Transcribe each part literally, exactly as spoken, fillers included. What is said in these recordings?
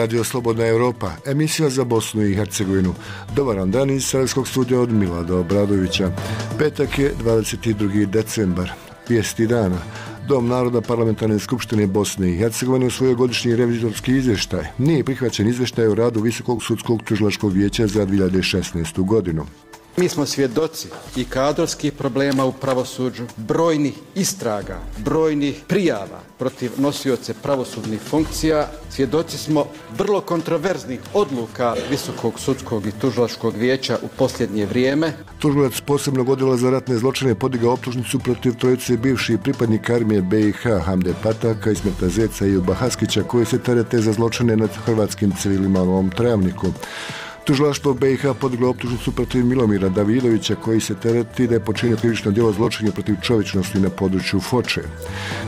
Radio Slobodna Europa, emisija za Bosnu i Hercegovinu. Dobar dan iz Sarajevskog studija od Milada Obradovića. Petak je dvadeset drugi decembar. Vijesti dana. Dom naroda Parlamentarne skupštine Bosne i Hercegovine usvojio godišnji revizorski izvještaj. Nije prihvaćen izvještaj o radu Visokog sudskog tužilačkog vijeća za dvije hiljade šesnaestu. godinu. Mi smo svjedoci i kadrovskih problema u pravosuđu, brojnih istraga, brojnih prijava protiv nosioce pravosudnih funkcija. Svjedoci smo vrlo kontroverznih odluka Visokog sudskog i tužilačkog vijeća u posljednje vrijeme. Tužilac posebnog odjela za ratne zločine podigao optužnicu protiv trojice bivših pripadnika armije B i H, Hamde Pataka, Ismeta Zeca i Ejuba Haskića, koji se terete za zločine nad hrvatskim civilima u ovom Travniku. Tužilaštvo B i H podiglo optužnicu protiv Milomira Davidovića, koji se tereti da je počinio krivično djelo zločina protiv čovječnosti na području Foče.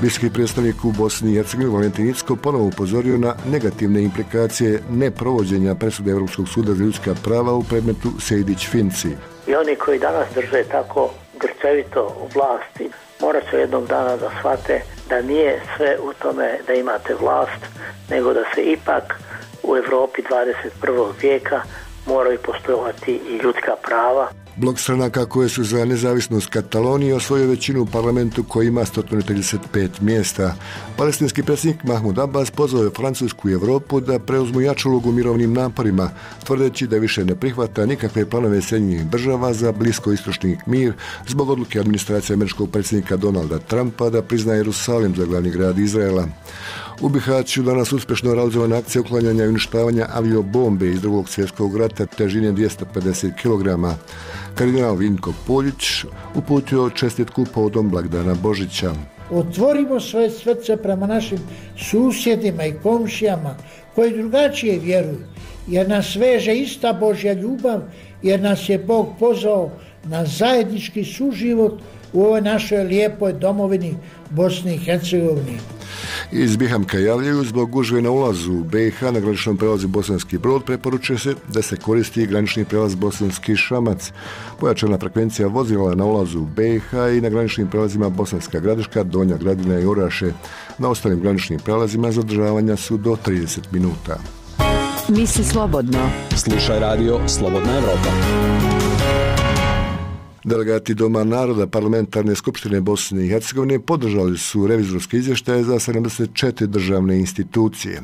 Visoki predstavnik u Bosni i Hercegovini Valentin Incko ponovo upozorio na negativne implikacije neprovođenja presude Europskog suda za ljudska prava u predmetu Sejdić-Finci. I oni koji danas drže tako grčevito u vlasti, morat će jednog dana da shvate da nije sve u tome da imate vlast, nego da se ipak u Europi dvadeset prvog vijeka moraju poštovati i ljudska prava. Blok stranaka koje su za nezavisnost Katalonije osvojio većinu u parlamentu koji ima sto trideset pet mjesta. Palestinski predsjednik Mahmud Abbas pozvao je Francusku i Europu da preuzmu jaču ulogu u mirovnim naporima, tvrdeći da više ne prihvata nikakve planove Sjedinjenih država za bliskoistočni mir zbog odluke administracije američkog predsjednika Donalda Trumpa da priznaje Jerusalim za glavni grad Izraela. U Bihaću danas uspješno realizovana akcija uklanjanja i uništavanja aviobombe iz drugog svjetskog rata težine dvjesto pedeset kilograma. Kardinal Vinko Poljić uputio čestitku povodom blagdana Božića. Otvorimo svoje srce prema našim susjedima i komšijama koji drugačije vjeruju, jer nas veže ista Božja ljubav, jer nas je Bog pozvao na zajednički suživot u ovoj našoj lijepoj domovini Bosni i Hercegovini. Iz Bihamka javljaju zbog gužve na ulazu u B i H na graničnom prelazu Bosanski Brod preporučuje se da se koristi granični prelaz Bosanski Šamac. Pojačana frekvencija vozila na ulazu u B i H i na graničnim prelazima Bosanska Gradiška, Donja Gradina i Oraše. Na ostalim graničnim prelazima zadržavanja su do trideset minuta. Misli slobodno. Slušaj radio Slobodna Europa. Delegati Doma naroda Parlamentarne skupštine Bosne i Hercegovine podržali su revizorske izvještaje za sedamdeset četiri državne institucije.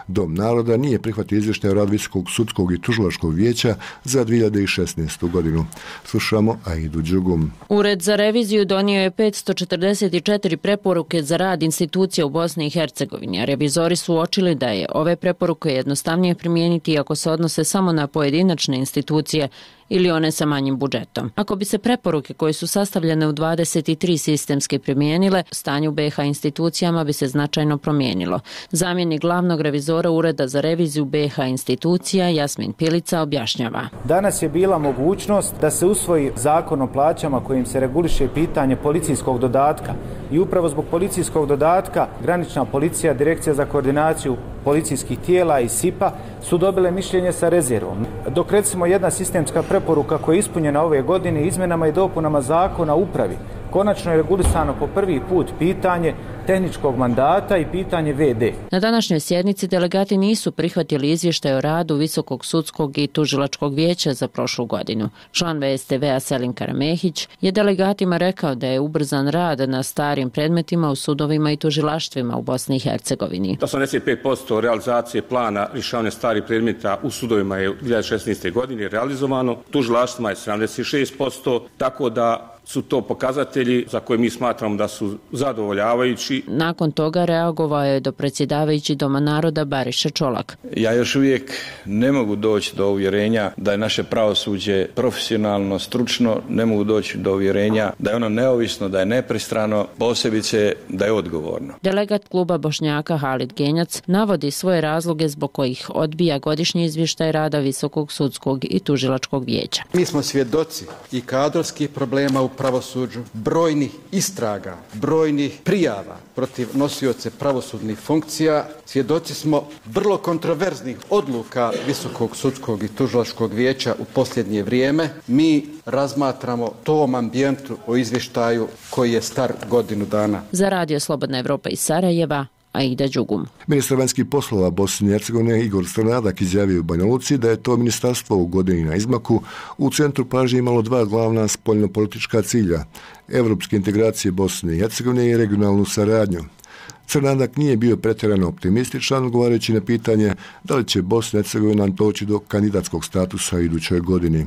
Dom naroda nije prihvatio izvještaj o radu Visokog sudskog i tužilačkog vijeća za dvije hiljade šesnaestu. godinu. Slušamo Aidu Đugum. Ured za reviziju donio je petsto četrdeset četiri preporuke za rad institucija u Bosni i Hercegovini, a revizori su uočili da je ove preporuke jednostavnije primijeniti ako se odnose samo na pojedinačne institucije ili one sa manjim budžetom. Ako bi se preporuke koje su sastavljene u dvadeset tri sistemske primijenile, stanje u B i H institucijama bi se značajno promijenilo. Zamjenik glavnog revizora Ureda za reviziju B i H institucija Jasmin Pilica objašnjava. Danas je bila mogućnost da se usvoji zakon o plaćama kojim se reguliše pitanje policijskog dodatka i upravo zbog policijskog dodatka granična policija, Direkcija za koordinaciju policijskih tijela i S I P A su dobile mišljenje sa rezervom. Dok recimo jedna sistemska preporuka koja je ispunjena ove godine izmjenama i dopunama zakona o upravi, konačno je regulisano po prvi put pitanje tehničkog mandata i pitanje V D. Na današnjoj sjednici delegati nisu prihvatili izvještaj o radu Visokog sudskog i tužilačkog vijeća za prošlu godinu. Član V S T V-a Selim Karamehić je delegatima rekao da je ubrzan rad na starim predmetima u sudovima i tužilaštvima u Bosni i Hercegovini. osamdeset pet posto realizacije plana rješavanja starih predmeta u sudovima je u dvije hiljade šesnaeste. godini realizovano, tužilaštvima je sedamdeset šest posto, tako da su to pokazatelji za koje mi smatramo da su zadovoljavajući. Nakon toga reagovao je do predsjedavajući Doma naroda Bariša Čolak. Ja još uvijek ne mogu doći do uvjerenja da je naše pravosuđe profesionalno, stručno, ne mogu doći do uvjerenja da je ono neovisno, da je nepristrano, posebice da je odgovorno. Delegat kluba Bošnjaka Halid Genjac navodi svoje razloge zbog kojih odbija godišnji izvještaj rada Visokog sudskog i tužilačkog vijeća. Mi smo svjedoci i kadrovskih problema u pravosuđu, brojnih istraga, brojnih prijava protiv nosioce pravosudnih funkcija. Svjedoci smo vrlo kontroverznih odluka Visokog sudskog i tužilačkog vijeća u posljednje vrijeme. Mi razmatramo tom ambijentu o izvještaju koji je star godinu dana. Za Radio Slobodna Europa iz Sarajeva, Aida Đugum. Ministar vanjskih poslova Bosne i Hercegovine Igor Crnadak izjavio u Banja Luci da je to ministarstvo u godini na izmaku u centru pažnje imalo dva glavna spoljnopolitička cilja, evropske integracije Bosne i Hercegovine i regionalnu saradnju. Crnadak nije bio pretjerano optimističan, odgovarajući na pitanje da li će Bosna i Hercegovina doći do kandidatskog statusa u idućoj godini.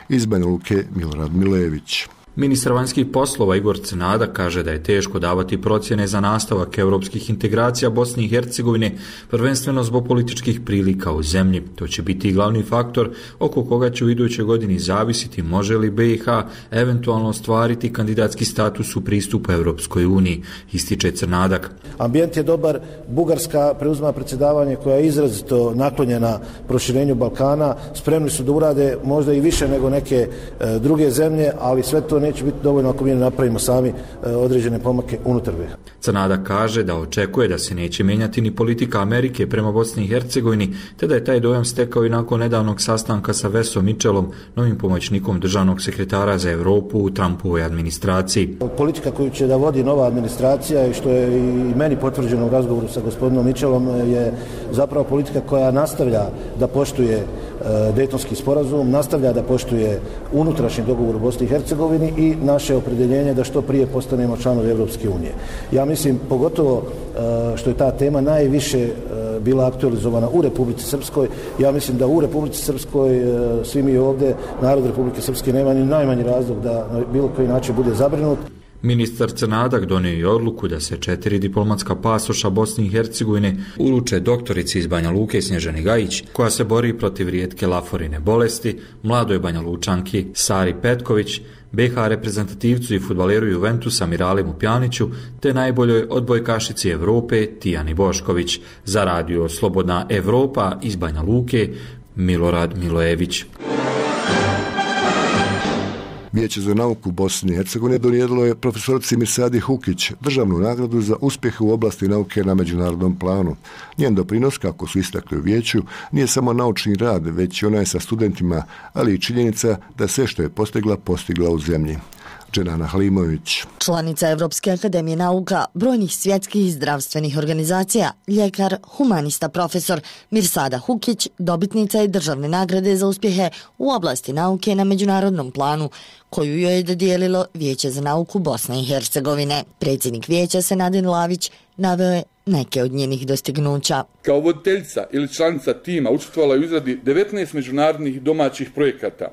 Iz Banja Luke Milorad Milević. Ministar vanjskih poslova Igor Crnadak kaže da je teško davati procjene za nastavak europskih integracija Bosne i Hercegovine, prvenstveno zbog političkih prilika u zemlji. To će biti glavni faktor oko koga će u idućoj godini zavisiti može li B i H eventualno ostvariti kandidatski status u pristupu Europskoj uniji, ističe Crnadak. Ambijent je dobar, Bugarska preuzima predsjedavanje koja je izrazito naklonjena proširenju Balkana, spremni su da urade možda i više nego neke e, druge zemlje, ali sve to neće biti dovoljno ako mi ne napravimo sami određene pomake unutar B i H. Crnadak kaže da očekuje da se neće mijenjati ni politika Amerike prema Bosni i Hercegovini, te da je taj dojam stekao i nakon nedavnog sastanka sa Vesom Mitchellom, novim pomoćnikom državnog sekretara za Europu u Trumpovoj administraciji. Politika koju će da vodi nova administracija i što je i meni potvrđeno u razgovoru sa gospodinom Mitchellom je zapravo politika koja nastavlja da poštuje Dejtonski sporazum, nastavlja da poštuje unutrašnji dogovor u Bosni i Hercegovini i naše opredjeljenje da što prije postanemo članovi Europske unije. Ja mislim, pogotovo što je ta tema najviše bila aktualizovana u Republici Srpskoj, ja mislim da u Republici Srpskoj svi mi ovdje, narod Republike Srpske, nema ni najmanji razlog da na bilo koji način bude zabrinut. Ministar Crnadak donio je odluku da se četiri diplomatska pasoša Bosne i Hercegovine uruče doktorici iz Banja Luke Snježani Gajić, koja se bori protiv rijetke laforine bolesti, mladoj Banja Lučanki Sari Petković, B H reprezentativcu i fudbaleru Juventusa Miralimu Pjaniću, te najboljoj odbojkašici Evrope Tijani Bošković. Za radio Slobodna Evropa iz Banja Luke, Milorad Milojević. Vijeće za nauku Bosne i Hercegovine donijedilo je profesorici Mirsadi Hukić državnu nagradu za uspjehe u oblasti nauke na međunarodnom planu. Njen doprinos, kako su istakli u vijeću, nije samo naučni rad, već i onaj sa studentima, ali i činjenica da sve što je postigla, postigla u zemlji. Dženana Halimović. Članica Evropske akademije nauka, brojnih svjetskih zdravstvenih organizacija, ljekar, humanista, profesor Mirsada Hukić, dobitnica je državne nagrade za uspjehe u oblasti nauke na međunarodnom planu, koju joj je dodijelilo Vijeće za nauku Bosne i Hercegovine. Predsjednik vijeća Senadin Lavić naveo je neke od njenih dostignuća. Kao voditeljica ili članica tima učestvovala je u izradi devetnaest međunarodnih domaćih projekata.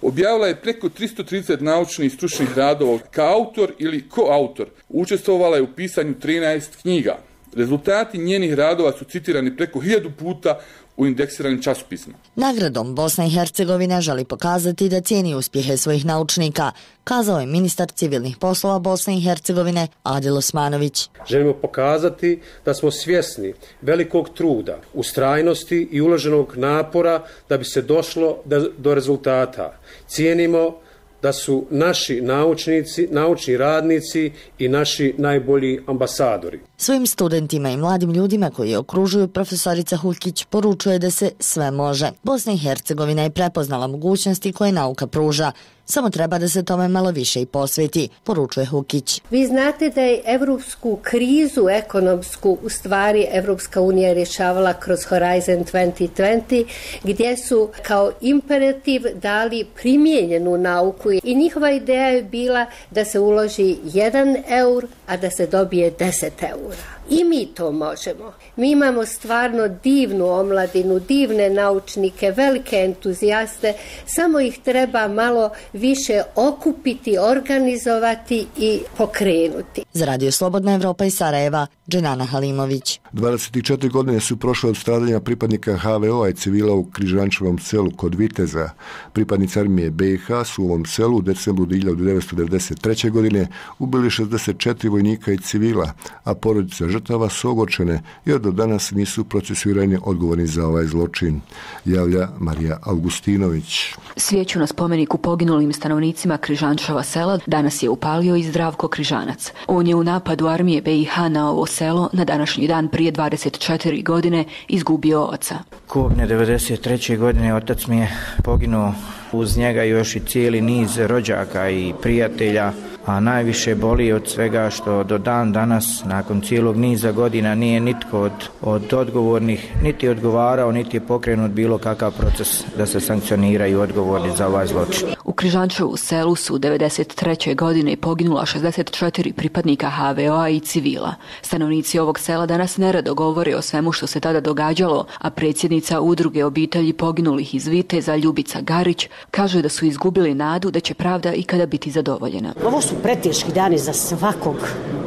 Objavila je preko tristo trideset naučnih i stručnih radova. Kao autor ili koautor učestvovala je u pisanju trinaest knjiga. Rezultati njenih radova su citirani preko hiljadu puta u indeksiranim časopisima. Nagradom Bosna i Hercegovina želi pokazati da cijeni uspjehe svojih naučnika, kazao je ministar civilnih poslova Bosne i Hercegovine Adil Osmanović. Želimo pokazati da smo svjesni velikog truda, ustrajnosti i uloženog napora da bi se došlo do rezultata. Cijenimo da su naši naučnici, naučni radnici i naši najbolji ambasadori. Svojim studentima i mladim ljudima koji okružuju profesorica Hukić poručuje da se sve može. Bosna i Hercegovina je prepoznala mogućnosti koje nauka pruža. Samo treba da se tome malo više i posveti, poručuje Hukić. Vi znate da je evropsku krizu ekonomsku u stvari Evropska unija rješavala kroz Horizon dvadeset dvadeset, gdje su kao imperativ dali primijenjenu nauku i njihova ideja je bila da se uloži jedan eur, a da se dobije deset eura. I mi to možemo. Mi imamo stvarno divnu omladinu, divne naučnike, velike entuzijaste, samo ih treba malo više okupiti, organizovati i pokrenuti. Za Radio Slobodna Evropa iz Sarajeva, Dženana Halimović. dvadeset četiri godine su prošle od stradanja pripadnika H V O-a i civila u Križančevom selu kod Viteza. Pripadnici armije B i H su u ovom selu u decembru hiljadu devetsto devedeset treće. godine ubili šezdeset četiri vojnika i civila, a porodice žrtava su ogorčene jer do danas nisu procesuirani odgovorni za ovaj zločin, javlja Marija Augustinović. Svijeću na spomeniku poginulim stanovnicima Križančeva sela danas je upalio i Zdravko Križanac. On je u napadu armije B i H na ovo selo na današnji dan prije dvadeset četiri godine izgubio oca. Kobne devedeset treće. godine otac mi je poginuo, uz njega još i cijeli niz rođaka i prijatelja. a najviše boli od svega što do dan danas, nakon cijelog niza godina, nije nitko od, od odgovornih niti odgovarao, niti je pokrenut bilo kakav proces da se sankcioniraju odgovorni za ovaj zločin. U Križančevu selu su devedeset treće godine poginula šezdeset četiri pripadnika ha ve o-a i civila. Stanovnici ovog sela danas nerado govore o svemu što se tada događalo, a predsjednica udruge obitelji poginulih iz Viteza Ljubica Garić kaže da su izgubili nadu da će pravda ikada biti zadovoljena. Ovo su preteški dani za svakog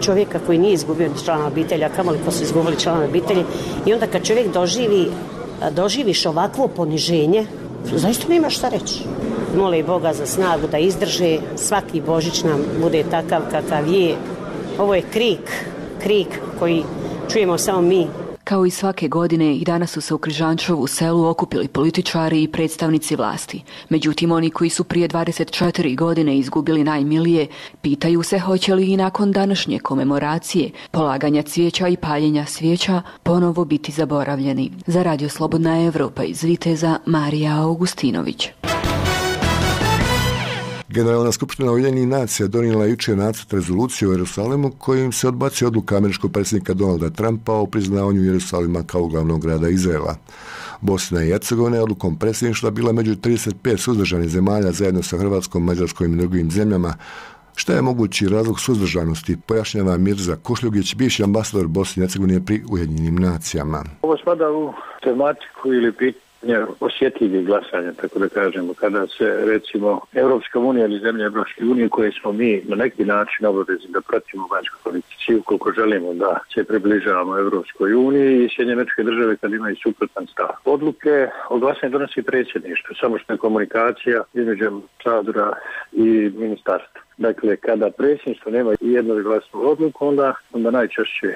čovjeka koji nije izgubio člana obitelji, a kamoli ko su izgubili člana obitelji. I onda kad čovjek doživi, doživiš ovakvo poniženje, zaista nema šta reći. Mole Boga za snagu da izdrže, svaki Božić nam bude takav kakav je. Ovo je krik, krik koji čujemo samo mi. Kao i svake godine, i danas su se u Križančevu selu okupili političari i predstavnici vlasti. Međutim, oni koji su prije dvadeset četiri godine izgubili najmilije, pitaju se hoće li i nakon današnje komemoracije, polaganja cvijeća i paljenja svijeća, ponovo biti zaboravljeni. Za Radio Slobodna Evropa iz Viteza, Marija Augustinović. Generalna skupština Ujedinjenih nacija donijela jučer nacrt rezolucije o Jerusalimu kojim se odbacio odluka američkog predsjednika Donalda Trumpa o priznavanju Jerusalima kao glavnog grada Izraela. Bosna i Hercegovina je odlukom predsjedništva bila među trideset pet suzdržanih zemalja zajedno sa Hrvatskom, Mađarskom i drugim zemljama. Šta je mogući razlog suzdržanosti, pojašnjava Mirza Kušljugić, bivši ambasador Bosne i Hercegovine pri Ujedinjenim nacijama. Ovo spada u tematiku ili pitanje osjetljivih glasanja, tako da kažemo, kada se recimo Europska unija ili zemlje Europske unije koje smo mi na neki način obavezni da pratimo vanjsku politici ukoliko želimo da se približavamo Europskoj uniji i Sjedinjene Američke Države kad imaju suprotan stav. Odluke o glasanju donosi predsjedništvo, samo što je komunikacija između ambasadora i ministarstva. Dakle, kada predsjedništvo nema jednoglasnu odluku, onda, onda najčešće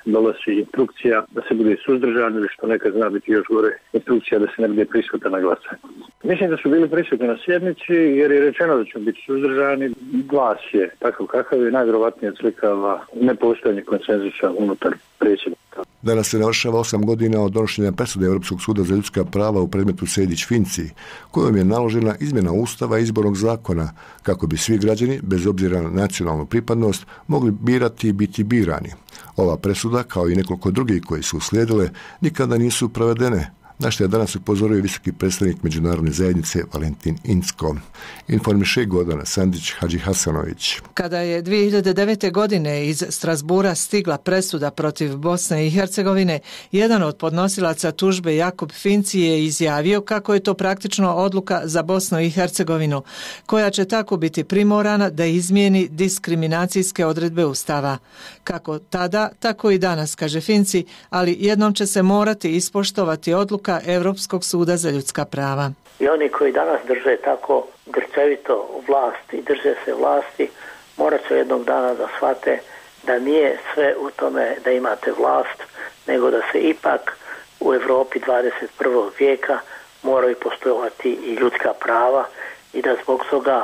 dolazi instrukcija da se bude suzdržan ili što nekad zna biti još gore, instrukcija da se ne bude prisutan na glasanje. Mislim da su bili prisutni na sjednici jer je rečeno da će biti suzdržani. Glas je takav kakav je, najvjerovatnije odslikava nepostojanje konsenzusa unutar predsjednika. Danas se navršava osam godina od donošenja presude Europskog suda za ljudska prava u predmetu Sejdić-Finci, kojom je naložena izmjena Ustava i izbornog zakona kako bi svi građani, bez obzira na nacionalnu pripadnost, mogli birati i biti birani. Ova presuda, kao i nekoliko drugih koji su uslijedile, nikada nisu provedene, na što je danas upozorio visoki predstavnik međunarodne zajednice Valentin Incko. Informiše Gordana Sandić Hadžihasanović. Kada je dvije hiljade devete. godine iz Strasbura stigla presuda protiv Bosne i Hercegovine, jedan od podnosilaca tužbe Jakub Finci je izjavio kako je to praktično odluka za Bosnu i Hercegovinu, koja će tako biti primorana da izmijeni diskriminacijske odredbe Ustava. Kako tada, tako i danas, kaže Finci, ali jednom će se morati ispoštovati odluka Europskog suda za ljudska prava. I oni koji danas drže tako grčevito vlasti, drže se vlasti, morat će jednog dana da shvate da nije sve u tome da imate vlast, nego da se ipak u Europi dvadeset prvog vijeka moraju postojati i ljudska prava i da zbog toga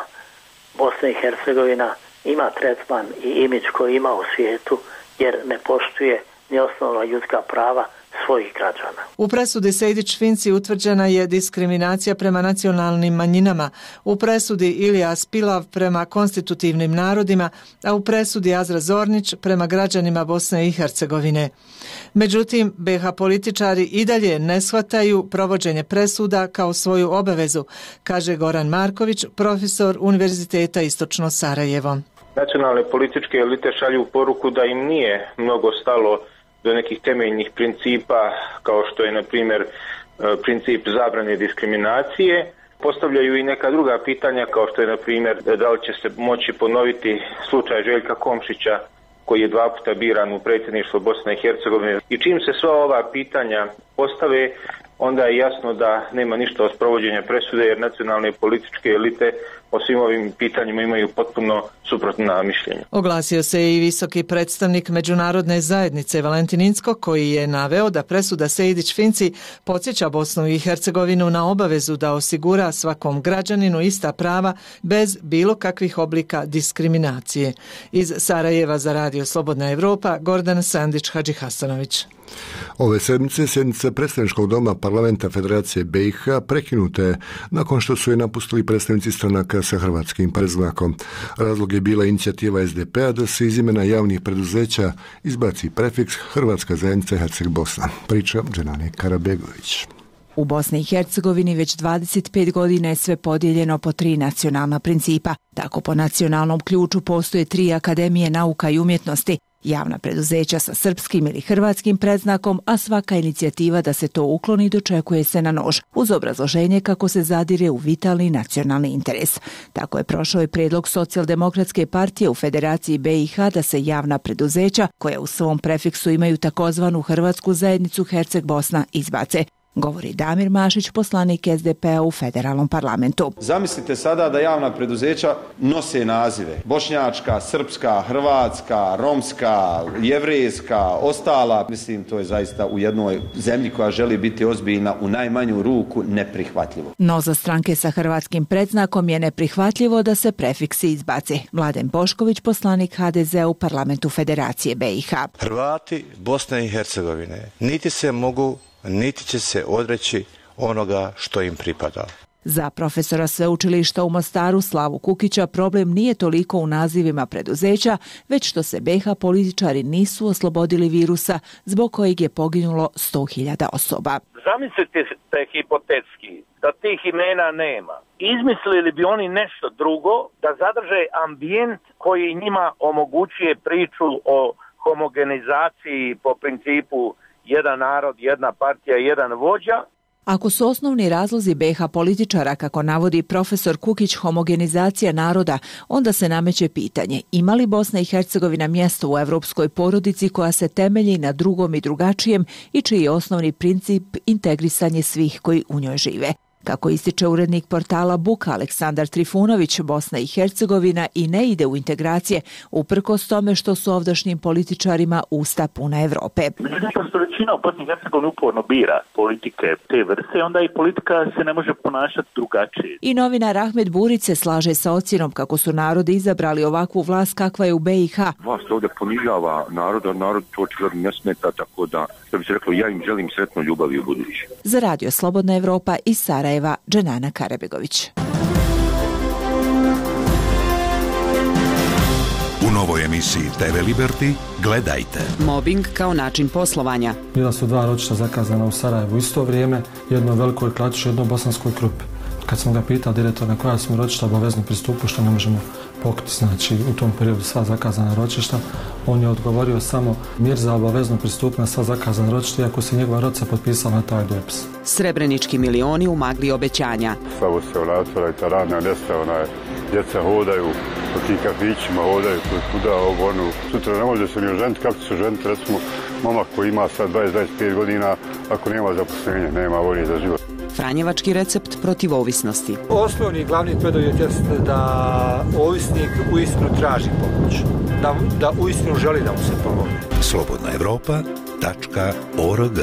Bosna i Hercegovina ima tretman i imidž koji ima u svijetu jer ne poštuje ni osnovna ljudska prava svojih građana. U presudi Sejdić-Finci utvrđena je diskriminacija prema nacionalnim manjinama, u presudi Ilija Spilav prema konstitutivnim narodima, a u presudi Azra Zornić prema građanima Bosne i Hercegovine. Međutim, be ha političari i dalje ne shvataju provođenje presuda kao svoju obavezu, kaže Goran Marković, profesor Univerziteta Istočno Sarajevo. Nacionalne političke elite šalju poruku da im nije mnogo stalo do nekih temeljnih principa kao što je na primjer princip zabrane diskriminacije. Postavljaju i neka druga pitanja kao što je na primjer da li će se moći ponoviti slučaj Željka Komšića koji je dva puta biran u predsjedništvo Bosne i Hercegovine. I čim se sva ova pitanja postave, onda je jasno da nema ništa od sprovođenja presude jer nacionalne političke elite o svim ovim pitanjima imaju potpuno suprotna mišljenja. Oglasio se i visoki predstavnik međunarodne zajednice Valentin Incko koji je naveo da presuda Sejdić-Finci podsjeća Bosnu i Hercegovinu na obavezu da osigura svakom građaninu ista prava bez bilo kakvih oblika diskriminacije. Iz Sarajeva za Radio Slobodna Evropa, Gordana Sandić Hadžihasanović. Ove sedmice sjednica sjednica predstavničkog doma parlamenta Federacije B i H prekinuta je nakon što su je napustili predstavnici stranaka sa hrvatskim predznakom. Razlog je bila inicijativa S D P-a da se iz imena javnih preduzeća izbaci prefiks Hrvatska zajednica Herceg Bosna. Priča Dženane Karabegović. U Bosni i Hercegovini već dvadeset pet godina je sve podijeljeno po tri nacionalna principa. Tako po nacionalnom ključu postoje tri akademije nauka i umjetnosti, javna preduzeća sa srpskim ili hrvatskim predznakom, a svaka inicijativa da se to ukloni dočekuje se na nož, uz obrazloženje kako se zadire u vitalni nacionalni interes. Tako je prošao i prijedlog Socijaldemokratske partije u Federaciji B i H da se javna preduzeća, koja u svom prefiksu imaju takozvanu Hrvatsku zajednicu Herceg Bosna, izbace. Govori Damir Mašić, poslanik S D P-a u federalnom parlamentu. Zamislite sada da javna preduzeća nose nazive bošnjačka, srpska, hrvatska, romska, jevrejska, ostala. Mislim, to je zaista u jednoj zemlji koja želi biti ozbiljna u najmanju ruku neprihvatljivo. No za stranke sa hrvatskim predznakom je neprihvatljivo da se prefiksi izbace. Mladen Bošković, poslanik H D Z-a u parlamentu Federacije B i H. Hrvati Bosne i Hercegovine niti se mogu niti će se odreći onoga što im pripada. Za profesora sveučilišta u Mostaru Slavu Kukića problem nije toliko u nazivima preduzeća, već što se B i H političari nisu oslobodili virusa zbog kojeg je poginulo sto hiljada osoba. Zamislite te hipotetski da tih imena nema. Izmislili bi oni nešto drugo da zadrže ambijent koji njima omogućuje priču o homogenizaciji po principu jedan narod, jedna partija, jedan vođa. Ako su osnovni razlozi B i H političara, kako navodi profesor Kukić, homogenizacija naroda, onda se nameće pitanje ima li Bosna i Hercegovina mjesto u evropskoj porodici koja se temelji na drugom i drugačijem i čiji je osnovni princip integrisanje svih koji u njoj žive. Kako ističe urednik portala Buka Aleksandar Trifunović, Bosna i Hercegovina i ne ide u integracije, uprkos tome što su ovdašnjim političarima usta puna Evrope. Međutim, što većina u Bosni i Hercegovini uporno bira politike te vrste, onda i politika se ne može ponašati drugačije. I novinar Ahmed Burić se slaže sa ocjenom kako su narodi izabrali ovakvu vlast kakva je u B i H. Vlast ovdje ponižava naroda, narod to očigledno ne smeta, tako da, što bi se reklo, ja im želim sretno ljubavi u budući. Za radio Slobodna Evropa iz Sarajeva, Dženana Karabegović. U novoj emisiji T V Liberty gledajte. Mobbing kao način poslovanja. Bila su dva ročišta zakazana u Sarajevu u isto vrijeme, jedno velikoj klatišu, jedno bosanskoj krupi. Kad sam ga pitao direktor na koja smo ročišta obavezno pristupu, što ne možemo pokriti, znači u tom periodu sva zakazana ročišta, on je odgovorio samo Mirza obavezno pristup na sva zakazana ročišta, iako se njegova rodca potpisala na taj dopis. Srebrenički milioni u magli obećanja. Slavo se vraćala i ta radna mjesta, ona je, djeca hodaju, po tim kafićima hodaju, kuda ovo, ono, sutra ne može se ni oženiti, kako će se oženiti, recimo, momak koji ima sad dvadeset do dvadeset pet godina, ako nema zaposlenja, nema volje za život. Franjevački recept protiv ovisnosti. Osnovni glavni preduvjet jeste da ovisnik uistinu traži pomoć, da, da uistinu želi da mu se pomogne. slobodna evropa tačka org.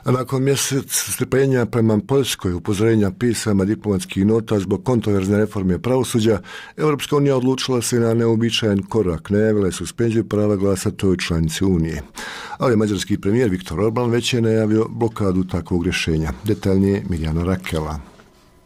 Nakon mjesec strpljenja prema Poljskoj, upozorenja, pisama, diplomatskih nota zbog kontroverzne reforme pravosuđa, Europska unija odlučila se na neobičajan korak, najavila je suspenziju prava glasa toj članici Unije. Ali mađarski premijer Viktor Orban već je najavio blokadu takvog rješenja. Detaljnije Mirjana Rakela.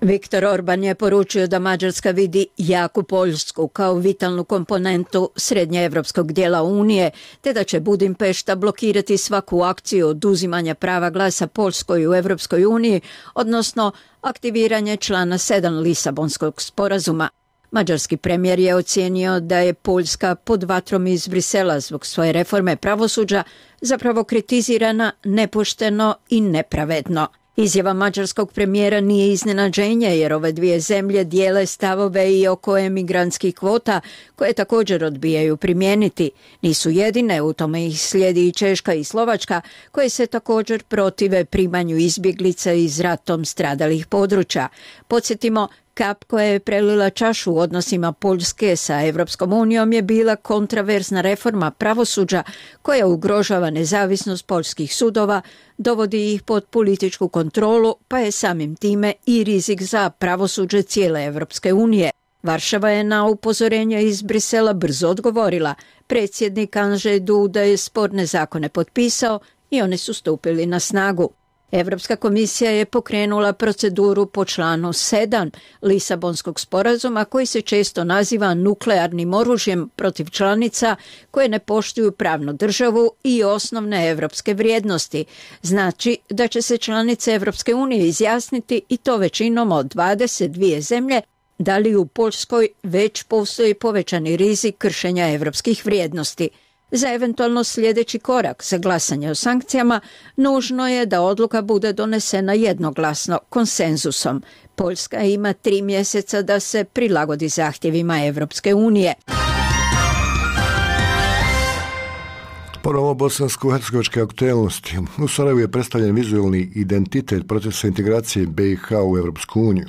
Viktor Orban je poručio da Mađarska vidi jaku Poljsku kao vitalnu komponentu srednjeevropskog dijela Unije, te da će Budimpešta blokirati svaku akciju oduzimanja prava glasa Poljskoj u Evropskoj uniji, odnosno aktiviranje člana sedam Lisabonskog sporazuma. Mađarski premijer je ocijenio da je Poljska pod vatrom iz Brisela zbog svoje reforme pravosuđa zapravo kritizirana nepošteno i nepravedno. Izjava mađarskog premijera nije iznenađenje jer ove dvije zemlje dijele stavove i oko emigrantskih kvota koje također odbijaju primijeniti. Nisu jedine, u tome ih slijedi i Češka i Slovačka koje se također protive primanju izbjeglica iz ratom stradalih područja. Podsjetimo, kap koja je prelila čašu u odnosima Poljske sa Evropskom unijom je bila kontraverzna reforma pravosuđa koja ugrožava nezavisnost poljskih sudova, dovodi ih pod političku kontrolu, pa je samim time i rizik za pravosuđe cijele Evropske unije. Varšava je na upozorenje iz Brisela brzo odgovorila. Predsjednik Andrzej Duda je sporne zakone potpisao i oni su stupili na snagu. Europska komisija je pokrenula proceduru po članu sedam Lisabonskog sporazuma koji se često naziva nuklearnim oružjem protiv članica koje ne poštuju pravnu državu i osnovne europske vrijednosti. Znači da će se članice Europske unije izjasniti i to većinom od dvadeset dvije zemlje da li u Poljskoj već postoji povećani rizik kršenja europskih vrijednosti. Za eventualno sljedeći korak za glasanje o sankcijama nužno je da odluka bude donesena jednoglasno, konsenzusom. Poljska ima tri mjeseca da se prilagodi zahtjevima Europske unije. Ponovo bosansko-hercegovačke aktualnosti. U Sarajevu je predstavljen vizualni identitet procesa integracije B i H u Europsku uniju.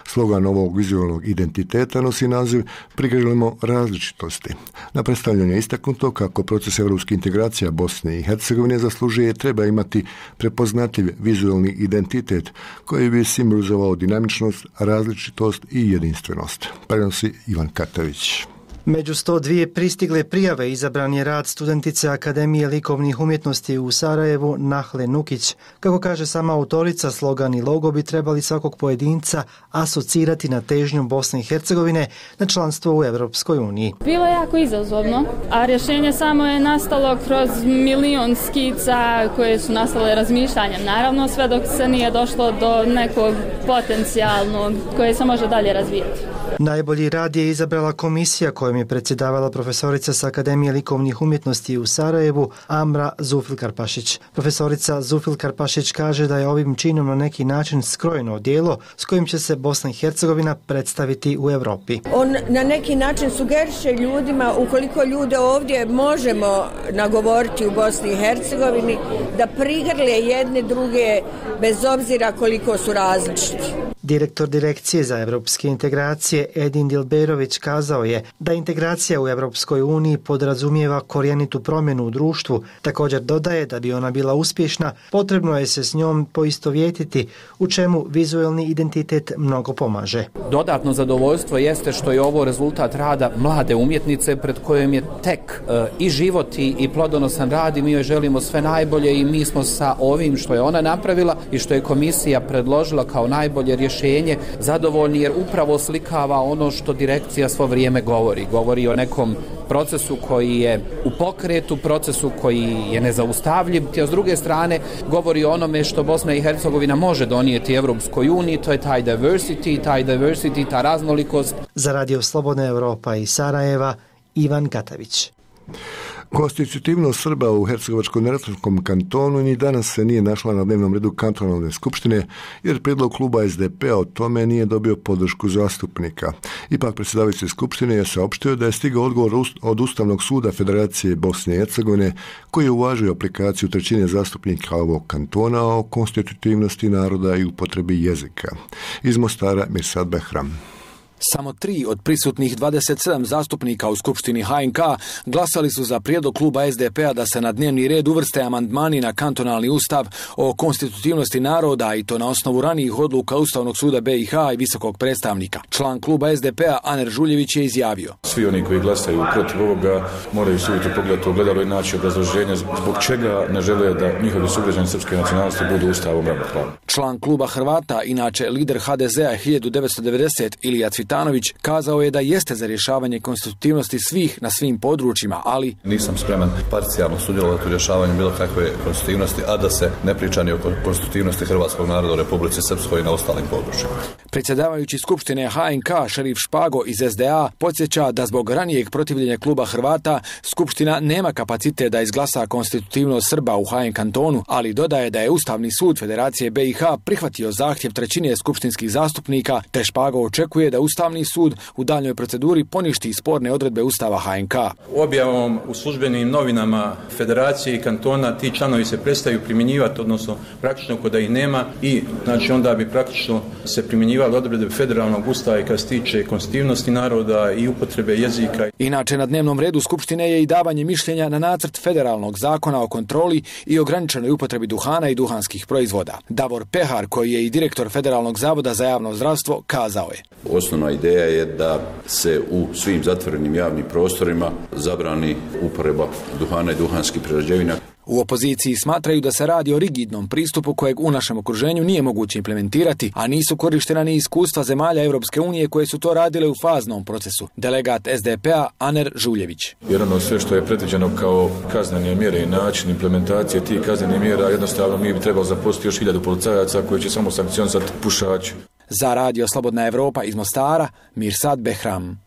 Slogan ovog vizualnog identiteta nosi naziv "Prigrlimo različitosti". Na predstavljanju je istaknuto kako proces europske integracija Bosne i Hercegovine zaslužuje treba imati prepoznatljiv vizualni identitet koji bi simbolizovao dinamičnost, različitost i jedinstvenost. Prenosi Ivan Katavić. Među sto dvije pristigle prijave izabran je rad studentice Akademije likovnih umjetnosti u Sarajevu Nahle Nukić. Kako kaže sama autorica, slogan i logo bi trebali svakog pojedinca asocirati na težnju Bosne i Hercegovine na članstvo u Europskoj uniji. Bilo je jako izazovno, a rješenje samo je nastalo kroz milion skica koje su nastale razmišljanjem. Naravno, sve dok se nije došlo do nekog potencijalnog koje se može dalje razvijati. Najbolji rad je izabrala komisija kojom je predsjedavala profesorica s Akademije likovnih umjetnosti u Sarajevu Amra Zufil-Karpašić. Profesorica Zufil-Karpašić kaže da je ovim činom na neki način skrojeno odijelo s kojim će se Bosna i Hercegovina predstaviti u Europi. On na neki način sugeriše ljudima, ukoliko ljude ovdje možemo nagovoriti u Bosni i Hercegovini, da prigrle jedne druge bez obzira koliko su različiti. Direktor Direkcije za europske integracije Edin Dilberović kazao je da integracija u Europskoj uniji podrazumijeva korijenitu promjenu u društvu. Također dodaje da bi ona bila uspješna, potrebno je se s njom poistovjetiti, u čemu vizualni identitet mnogo pomaže. Dodatno zadovoljstvo jeste što je ovo rezultat rada mlade umjetnice pred kojom je tek e, i život i, i plodonosan rad i mi joj želimo sve najbolje i mi smo sa ovim što je ona napravila i što je komisija predložila kao najbolje rješenje zadovoljni jer upravo slikava ono što direkcija svo vrijeme govori. Govori o nekom procesu koji je u pokretu, procesu koji je nezaustavljiv, a s druge strane govori o onome što Bosna i Hercegovina može donijeti Evropskoj uniji, to je taj diversity, taj diversity, ta raznolikost. Za Radio Slobodna Europa i Sarajeva, Ivan Katavić. Konstitutivnost Srba u Hercegovačko-neretvanskom kantonu ni danas se nije našla na dnevnom redu kantonalne skupštine, jer prijedlog kluba es de pe a o tome nije dobio podršku zastupnika. Ipak predsjedavajući skupštine je saopštio da je stigao odgovor od Ustavnog suda Federacije Bosne i Hercegovine, koji je uvažio aplikaciju trećine zastupnika ovog kantona o konstitutivnosti naroda i upotrebi jezika. Iz Mostara Mirsad Behram. Samo tri od prisutnih dvadeset sedam zastupnika u Skupštini ha en ka glasali su za prijedlog kluba es de pe a da se na dnevni red uvrste amandmani na kantonalni ustav o konstitutivnosti naroda i to na osnovu ranijih odluka Ustavnog suda be i ha i visokog predstavnika. Član kluba es de pe a Aner Žuljević je izjavio: Svi oni koji glasaju protiv ovoga moraju suditi pogledati ogledalo i naći obrazloženje zbog čega ne žele da njihovi sugrađani srpske nacionalnosti budu ustavom ravnopravni. Član kluba Hrvata, inače lider ha de ze a hiljadu devetsto devedeset Ilija Cvitanović, kazao je da jeste za rješavanje konstitutivnosti svih na svim područjima, ali nisam spreman parcijalno sudjelovati u rješavanju bilo kakve konstitutivnosti, a da se ne priča ni o konstitutivnosti hrvatskog naroda u Republici Srpskoj i na ostalim područjima. Predsjedavajući Skupštine ha en ka Šerif Špago iz es de a podsjeća da zbog ranijeg protivljenja kluba Hrvata Skupština nema kapacitet da izglasa konstitutivnost Srba u ha en kantonu, ali dodaje da je Ustavni sud Federacije be i ha prihvatio zahtjev trećine skupštinskih zastupnika, te Špago očekuje da Ustavni sud u daljnjoj proceduri poništi sporne odredbe Ustava ha en ka. Objavom u službenim novinama Federacije i kantona ti članovi se prestaju primjenjivati, odnosno praktično kod da ih nema i znači onda bi praktično se primjenjivali odredbe federalnog ustava i kad se tiče konstitutivnosti naroda i upotrebe jezika. Inače na dnevnom redu Skupštine je i davanje mišljenja na nacrt federalnog zakona o kontroli i ograničenoj upotrebi duhana i duhanskih proizvoda. Davor Pehar, koji je i direktor Federalnog zavoda za javno zdravstvo, kazao je: Osnovno osnovna ideja je da se u svim zatvorenim javnim prostorima zabrani uporaba duhana i duhanskih prerađevina. U opoziciji smatraju da se radi o rigidnom pristupu kojeg u našem okruženju nije moguće implementirati, a nisu korištena ni iskustva zemalja Europske unije koje su to radile u faznom procesu. Delegat S D P-a Aner Žuljević. Jedno sve što je predviđeno kao kaznene mjere i način implementacije tih kaznenih mjera, jednostavno mi bi trebalo zaposliti još hiljadu policajaca koji će samo sankcionisati pušače. Za Radio Slobodna Evropa iz Mostara, Mirsad Behram.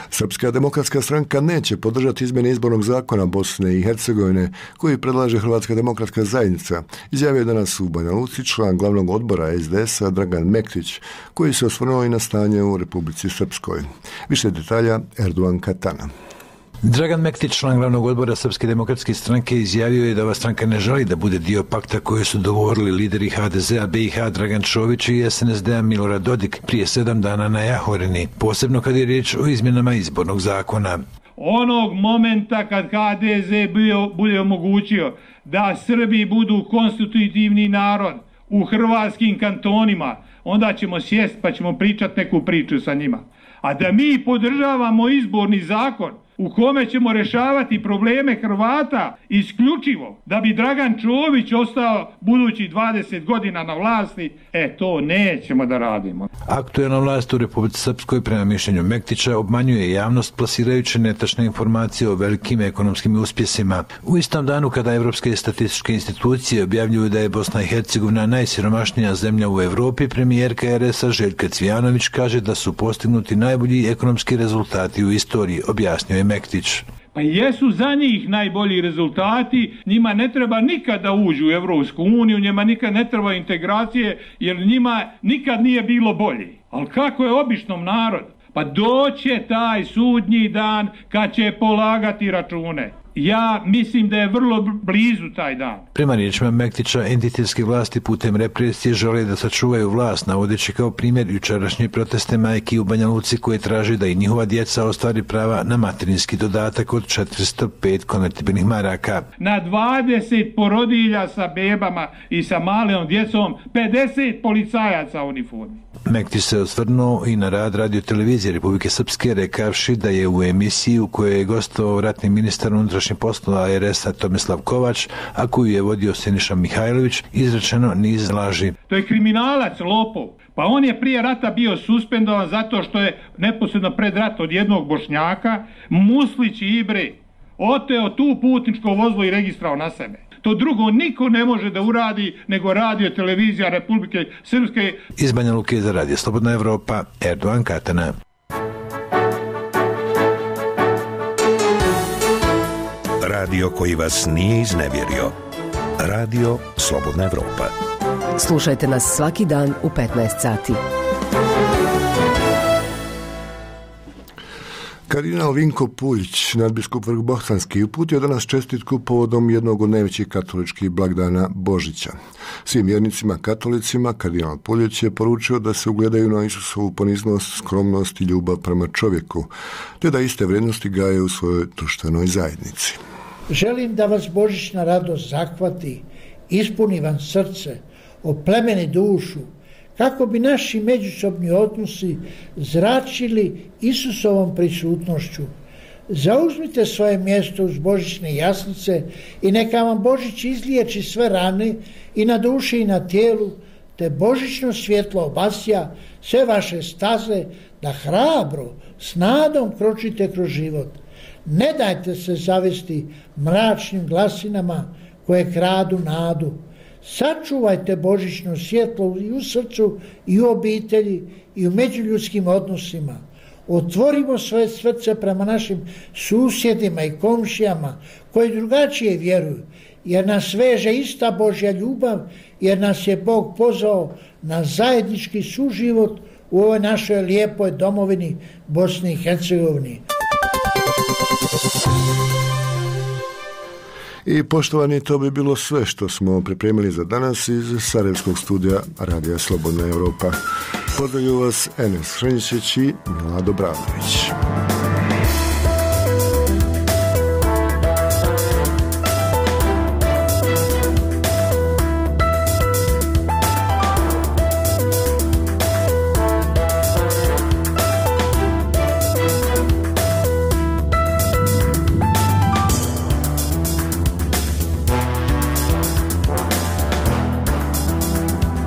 Srpska demokratska stranka neće podržati izmjene izbornog zakona Bosne i Hercegovine koji predlaže Hrvatska demokratska zajednica, izjavio je danas u Banja Luci član glavnog odbora S D S-a Dragan Mektić, koji se osvrnuo i na stanje u Republici Srpskoj. Više detalja Erdogan Katana. Dragan Mektić, član glavnog odbora Srpske demokratske stranke, izjavio je da ova stranka ne želi da bude dio pakta koje su dogovorili lideri H D Z-a B i H Dragan Čović i S N S D-a Milorad Dodik prije sedam dana na Jahorini, posebno kad je riječ o izmjenama izbornog zakona. Onog momenta kad H D Z bio, bude omogućio da Srbi budu konstitutivni narod u hrvatskim kantonima, onda ćemo sjest pa ćemo pričati neku priču sa njima. A da mi podržavamo izborni zakon u kome ćemo rješavati probleme Hrvata isključivo da bi Dragan Čović ostao budući dvadeset godina na vlasti, e to nećemo da radimo. Aktuelna vlast u Republici Srpskoj prema mišljenju Mektića obmanjuje javnost plasirajući netačne informacije o velikim ekonomskim uspjesima. U istom danu kada evropske statističke institucije objavljuju da je Bosna i Hercegovina najsiromašnija zemlja u Europi, premijerka R S-a Željka Cvijanović kaže da su postignuti najbolji ekonomski rezultati u istoriji, objasnio je Mektić. Pa jesu za njih najbolji rezultati, njima ne treba nikad da uđu u Evropsku uniju, njima nikad ne treba integracije, jer njima nikad nije bilo bolje. Ali kako je običnom narodu? Pa doće taj sudnji dan kad će polagati račune. Ja mislim da je vrlo blizu taj dan. Prema riječima Mektića, entitetske vlasti putem represije žele da sačuvaju vlast, navodeći kao primjer jučerašnje proteste majki u Banja Luci koje traže da i njihova djeca ostvari prava na materinski dodatak od četiristo pet konvertibilnih maraka. Na dvadeset porodilja sa bebama i sa malom djecom, pedeset policajaca u uniformi. Mektić se osvrnuo i na rad radio televizije Republike Srpske, rekavši da je u emisiji u kojoj je gostovao ratni ministar unutrašnjih poslova R S-a Tomislav Kovač, a koju je vodio Siniša Mihajlović, izrečeno niz laži. To je kriminalac, lopov. Pa on je prije rata bio suspendovan zato što je neposredno pred rat od jednog Bošnjaka, Muslić i Ibre, oteo tu putničko vozilo i registrao na sebe. To drugo niko ne može da uradi nego radio televizija Republike Srpske. Iz Banja Luke za Radio Slobodna Evropa, Erdogan Katana. Radio koji vas nije iznevjerio. Radio Slobodna Evropa. Slušajte nas svaki dan u petnaest sati. Kardinal Vinko Puljić, nadbiskup Vrhbosanski, uputio danas čestitku povodom jednog od najvećih katoličkih blagdana Božića. Svim vjernicima katolicima kardinal Puljić je poručio da se ugledaju na Isusovu poniznost, skromnost i ljubav prema čovjeku, te da iste vrijednosti gaje u svojoj društvenoj zajednici. Želim da vas božićna radost zahvati, ispuni vam srce, oplemeni dušu, kako bi naši međusobni odnosi zračili Isusovom prisutnošću. Zauzmite svoje mjesto uz božićne jaslice i neka vam Božić izliječi sve rane i na duši i na tijelu, te božićno svjetlo obasja sve vaše staze da hrabro, s nadom kročite kroz život. Ne dajte se zavesti mračnim glasinama koje kradu nadu. Sačuvajte božićno svjetlo i u srcu i u obitelji i u međuljudskim odnosima. Otvorimo svoje srce prema našim susjedima i komšijama koji drugačije vjeruju, jer nas veže ista Božja ljubav, jer nas je Bog pozvao na zajednički suživot u ovoj našoj lijepoj domovini Bosni i Hercegovini. I poštovani, to bi bilo sve što smo pripremili za danas iz Sarajevskog studija Radija Slobodna Evropa. Pozdravlju vas Enes Hrnjičić i Mila Dobranović.